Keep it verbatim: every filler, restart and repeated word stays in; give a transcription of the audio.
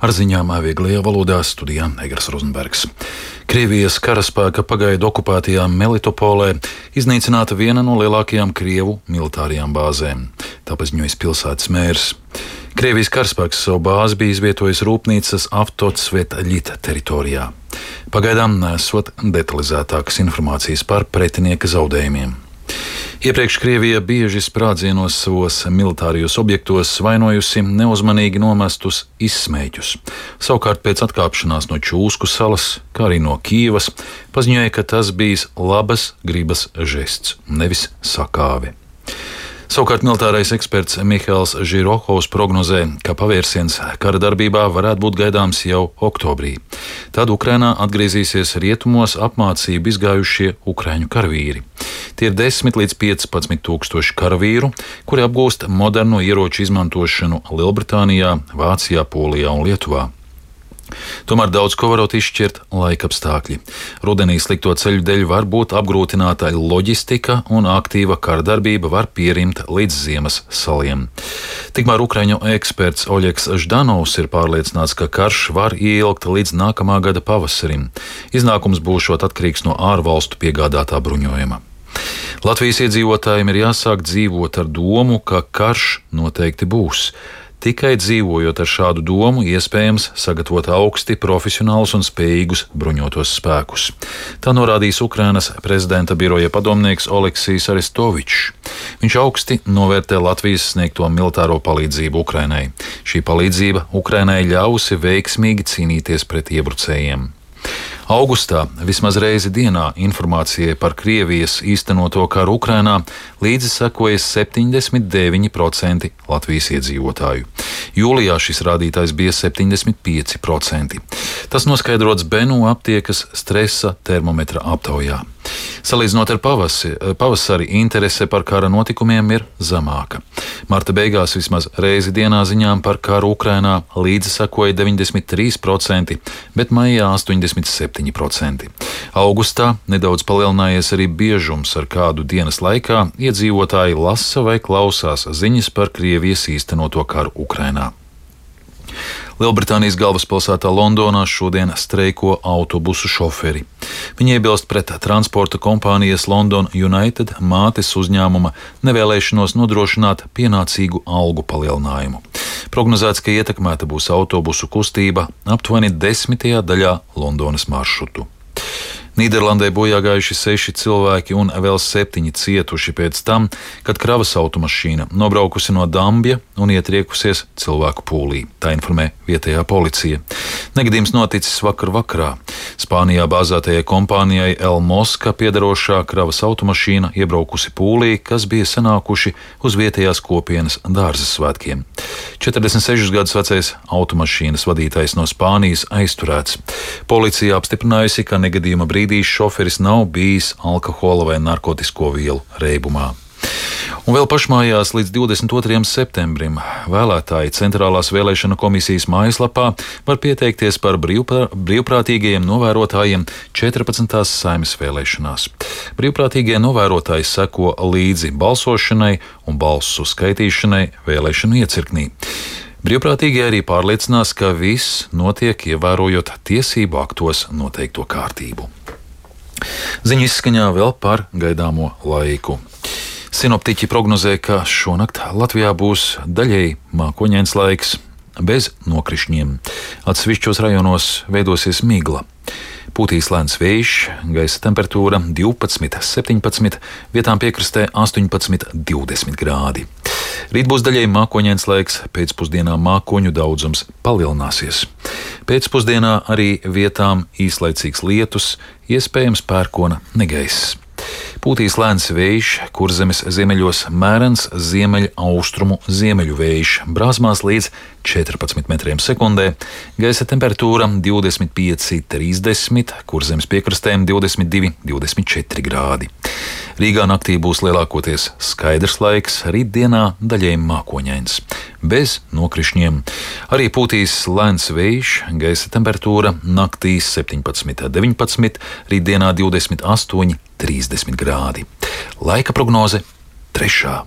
Ar ziņām vieglajā valodā studijā Egars Rozenbergs. Krievijas karaspēka pagaidu okupētajā Melitopolē iznīcināta viena no lielākajām Krievu militārajām bāzēm. Tā paziņoja pilsētas mērs. Krievijas karaspēks savu bāzi bija izvietojis rūpnīcas Avtotsvetļita teritorijā. Pagaidām nesot detalizētākas informācijas par pretinieka zaudējumiem. Iepriekš Krievija bieži sprādzienos savos militārajos objektos vainojusi neuzmanīgi nomestus izsmēķus. Savukārt pēc atkāpšanās no Čūsku salas, kā arī no Kijevas, paziņoja, ka tas bijis labas gribas žests, nevis sakāve. Savukārt militārais eksperts Mihails Žirohovs prognozē, ka pavērsiens kara darbībā varētu būt gaidāms jau oktobrī. Tad Ukrainā atgriezīsies rietumos apmācību izgājušie ukraiņu karavīri. Tie ir desmit līdz piecpadsmit tūkstoši karavīru, kuri apgūst modernu ieroču izmantošanu Lielbritānijā, Vācijā, Polijā un Lietuvā. Tomēr daudz ko varot izšķirt laikapstākļi. Rudenī slikto ceļu dēļ var būt apgrūtināta loģistika un aktīva kara darbība var pierimt līdz ziemas saliem. Tikmēr ukraiņu eksperts Oļegs Ždanovs ir pārliecināts, ka karš var ieilgt līdz nākamā gada pavasarim. Iznākums būšot atkarīgs no ārvalstu piegādātā bruņojuma. Latvijas iedzīvotājiem ir jāsāk dzīvot ar domu, ka karš noteikti būs. Tikai dzīvojot ar šādu domu, iespējams sagatavot augsti profesionālus un spējīgus bruņotos spēkus. Tā norādījis Ukrainas prezidenta biroja padomnieks Oleksijs Arestovičs. Viņš augsti novērtē Latvijas sniegto militāro palīdzību Ukrainai. Šī palīdzība Ukrainai ļausi veiksmīgi cīnīties pret iebrucējiem. Augustā vismaz reizi dienā informācijai par Krievijas īstenoto karu Ukrainā līdzi sekoja septiņdesmit deviņi procenti Latvijas iedzīvotāju. Jūlijā šis rādītājs bija septiņdesmit pieci procenti. Tas noskaidrots Benu aptiekas stresa termometra aptaujā. Salīdzinot ar pavasi, pavasari, interese par kara notikumiem ir zemāka. Marta beigās vismaz reizi dienā ziņām par karu Ukrainā līdzi sekoja deviņdesmit trīs procenti, bet maijā astoņdesmit septiņi procenti. Augustā nedaudz palielinājies arī biežums, ar kādu dienas laikā iedzīvotāji lasa vai klausās ziņas par Krievijas īstenoto karu Ukrainā. Lielbritānijas galvaspilsētā Londonā šodien streiko autobusu šoferi. Viņi iebilst pret transporta kompānijas London United mātes uzņēmuma nevēlēšanos nodrošināt pienācīgu algu palielinājumu. Prognozēts, ka ietekmēta būs autobusu kustība aptuveni desmitajā daļā Londonas maršrutu. Nīderlandē bojāgājuši seši cilvēki un vēl septiņi cietuši pēc tam, kad kravas automašīna nobraukusi no Dambja un ietriekusies cilvēku pūlī. Tā informē vietējā policija. Negadījums noticis vakar vakarā. Spānijā bāzētajai kompānijai El Mosca piedarošā kravas automašīna iebraukusi pūlī, kas bija sanākuši uz vietējās kopienas dārza svētkiem. četrdesmit sešus gadus vecais automašīnas vadītājs no Spānijas aizturēts. Policija apstiprinājusi, ka negadījuma brīdī šoferis nav bijis alkohola vai narkotisko vielu reibumā. Un vēl pašmājās līdz divdesmit otrajam septembrim vēlētāji Centrālās vēlēšana komisijas mājaslapā var pieteikties par brīvprā, brīvprātīgajiem novērotājiem četrpadsmitās Saeimas vēlēšanās. Brīvprātīgie novērotāji seko līdzi balsošanai un balsu skaitīšanai vēlēšanu iecirknī. Brīvprātīgie arī pārliecinās, ka viss notiek ievērojot tiesību aktos noteikto kārtību. Ziņu izskaņā vēl par gaidāmo laiku. Sinoptiķi prognozē, ka šonakt Latvijā būs daļēji mākoņains laiks, bez nokrišņiem. Atsevišķos rajonos veidosies migla. Pūtīs lēns vējš, gaisa temperatūra divpadsmit, septiņpadsmit, vietām piekrastē astoņpadsmit, divdesmit grādi. Rīt būs daļēji mākoņains laiks, pēcpusdienā mākoņu daudzums palielināsies. Pēcpusdienā arī vietām īslaicīgs lietus, iespējams pērkona negaiss. Pūtīs lēns vējš, Kurzemes ziemeļos mērens ziemeļaustrumu ziemeļu vējš, brāzmās līdz četrpadsmit metriem sekundē, gaisa temperatūra divdesmit pieci, trīsdesmit, Kurzemes piekrastēm divdesmit divi, divdesmit četri grādi. Rīgā naktī būs lielākoties skaidrs laiks, rītdienā daļēji mākoņains, bez nokrišņiem. Arī pūtīs lēns vējš, gaisa temperatūra naktī septiņpadsmit, deviņpadsmit, rītdienā divdesmit astoņi, trīsdesmit grādi. Laika prognoze trešā.